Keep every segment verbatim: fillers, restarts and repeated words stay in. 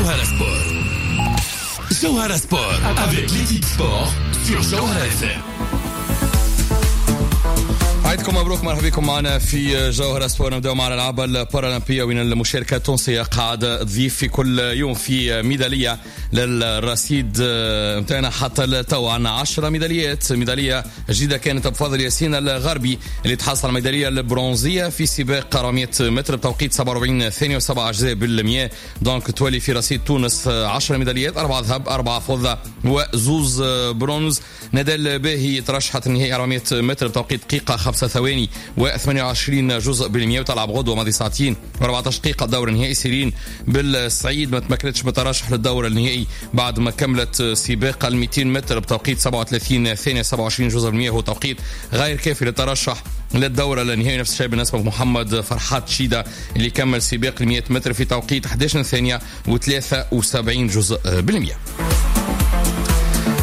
جوهرة سبور. جوهرة سبور avec l'équipe sport sur جوهرة إف إم. عيدكم مبروك، مرحبا بكم معنا في جوهرة سبور. نبداو مع الالعاب البارالمبيه، وين المشاركة التونسية قاعدة تضيف في كل يوم في ميدالية للرصيد نتاعنا. حتى التو عندنا عشرة ميداليات. ميدالية جديدة كانت بفضل ياسين الغربي اللي تحصل على الميداليه البرونزيه في سباق أربعمية متر بتوقيت سبعة وأربعين ثانية وسبعة اجزاء بالمية. donc تولي في رصيد تونس عشرة ميداليات، أربعة ذهب، أربعة فضة وزوز برونز. ندى باهي ترشحت النهائي أربعمية متر بتوقيت دقيقة خمسة ثواني وثمانية وعشرين جزء بالمية، وتلعب غدوة ماضي ساعتين وأربعطاش دقيقة الدور النهائي. سيرين بالسعيد ما تمكنتش بالترشح للدور النهائي بعد ما كملت سباق ال ميتين متر بتوقيت سبعة وثلاثين ثانية سبعة وعشرين جزء بالمية، هو توقيت غير كافي للترشح للدور النهائي. نفس الشيء بالنسبة لمحمد فرحات شيدا اللي كمل سباق ال مية متر في توقيت إحداش ثانية وثلاثة وسبعين جزء بالمية.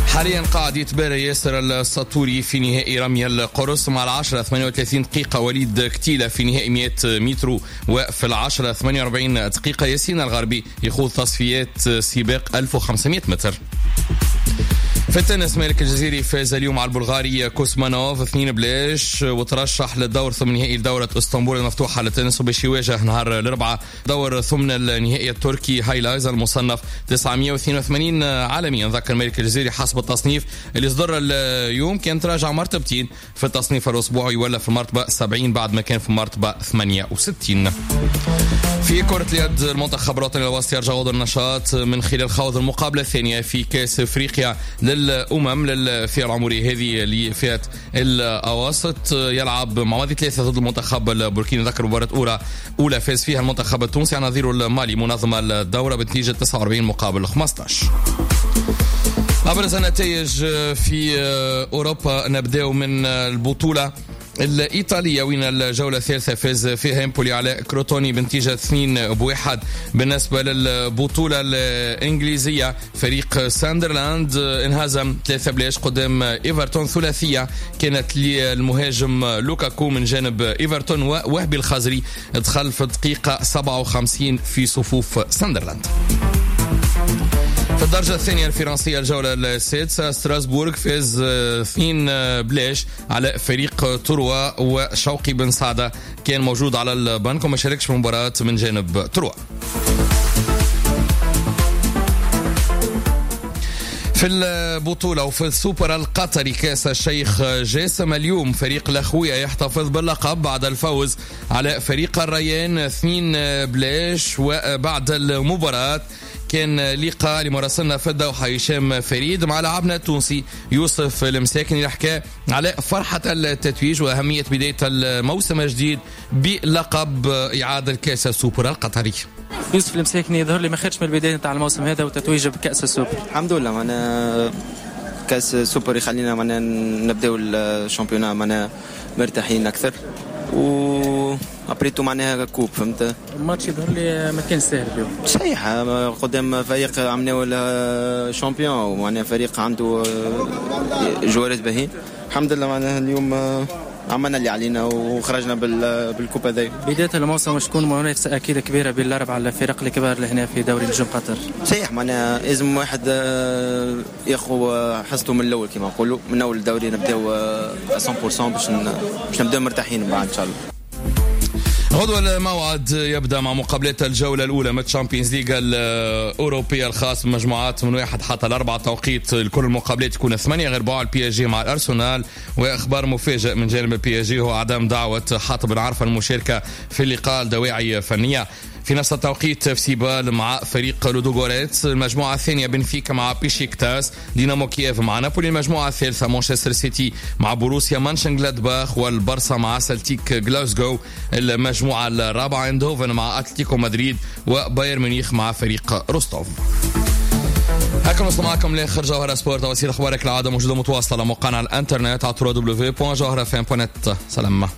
حاليا قاعد يتبارى ياسر السطوري في نهائي رمي القرص. مع العشرة ثمانية وثلاثين دقيقة وليد كتيلة في نهائي مية متر، وفي العشرة ثمانية وأربعين دقيقة ياسين الغربي يخوض تصفيات سباق ألف وخمسمية متر. في التنس، مالك الجزيري فاز اليوم على البلغاري كوسمانوف اثنين بلاش وترشح للدور ثمن النهائي لدورة اسطنبول المفتوحة للتنس، وباش يواجه نهار الأربعاء دور ثمن النهائي التركي هايلايز المصنف تسعمية واثنين وثمانين عالميا. نذكر مالك الجزيري حسب التصنيف اللي صدر اليوم كان تراجع مرتبتين في التصنيف الأسبوعي، ولا في المرتبة سبعين بعد ما كان في المرتبة ثمانية وستين. في كرة اليد، المنتخب الوطني الوسط يرجع غدوة النشاط من خلال خوض المقابلة الثانية في كأس افريقيا للأمم للفئة العمرية هذه، لفئة الأواسط. يلعب مع ماضي ثلاثة ضد المنتخب البوركيني. نذكر مباراة أولى أولى فاز فيها المنتخب التونسي على نظيره المالي منظم الدورة بنتيجة تسعة وأربعين مقابل خمسطاش. أبرز النتائج في أوروبا، نبدأ من البطولة الإيطالية، وين الجولة الثالثة فاز فيها امبولي على كروتوني بنتيجة اثنين بواحد. بالنسبة للبطولة الإنجليزية، فريق ساندرلاند انهزم ثلاثة بلاش قدام ايفرتون. ثلاثية كانت للمهاجم لوكاكو من جانب ايفرتون، ووهبي الخزري دخل في الدقيقة سبعة وخمسين في صفوف ساندرلاند. في الدرجة الثانية الفرنسية، الجولة السادسة، ستراسبورغ فاز اثنين بلاش على فريق تروا، وشوقي بن سعدة كان موجود على البنك وما شاركش في المباراة من جانب تروا. في البطولة وفي السوبر القطري كاس الشيخ جاسم، اليوم فريق الأخوية يحتفظ باللقب بعد الفوز على فريق الريان اثنين بلاش. وبعد المباراة كان لقاء لمراسلنا في الدوحة هشام فريد مع لاعبنا التونسي يوسف المساكني اللي حكى على فرحة التتويج وأهمية بداية الموسم الجديد بلقب إعادة الكاس السوبر القطري. يوسف المساكني، يظهر لي ما خيرش من البداية نتاع الموسم هذا وتتويج بكاس السوبر. الحمد لله، معناها كاس السوبر يخلينا معناها نبداو ال championnat معناها مرتاحين اكثر، و après tout معناها coupe، فهمت. الماتش يظهر لي ما كان سهل اليوم. صحيح، قدام فريق عملناه champion، ومعناها فريق عنده جوارات باهين. الحمد لله، معناها اليوم عملنا اللي علينا وخرجنا بال coupe هذا. بداية الموسم باش تكون منافسة أكيد كبيرة بين الأربعة الفرق الكبار اللي هنا في دوري نجوم قطر. صحيح، معناها لازم واحد ياخذ حصته من الأول، كما نقولوا من أول الدوري نبداو مية بالمية باش باش نبداو مرتاحين من بعد إن شاء الله. غدوة الموعد يبدا مع مقابلات الجولة الاولى من Champions League الاوروبية الخاص بمجموعات من واحد حتى الاربعه. توقيت لكل المقابلات تكون ثمانية غير ربع، ال PSG مع الارسنال. واخبار مفاجئ من جانب ال PSG هو عدم دعوه حاتم بن عرفه المشاركة في اللقاء لدواعي فنيه. في نفس التوقيت اف سي بال مع فريق لودوغوريتس. المجموعة الثانية بنفيكا مع بيشيكتاس، دينامو كييف مع نابولي. المجموعة الثالثة مانشستر سيتي مع بوروسيا مانشنغلادباخ، والبرسا مع سلتيك غلاسكو. المجموعة الرابعة اندهوفن مع اتلتيكو مدريد، وبايرن ميونخ مع فريق روستوف. هكا نوصل معكم لاخر جوهرة سبورت. تفاصيل اخبارك العادة موجودة متواصلة على موقعنا على الانترنت على دبليو دبليو دبليو دوت جوهرة اف ام دوت نت. سلام.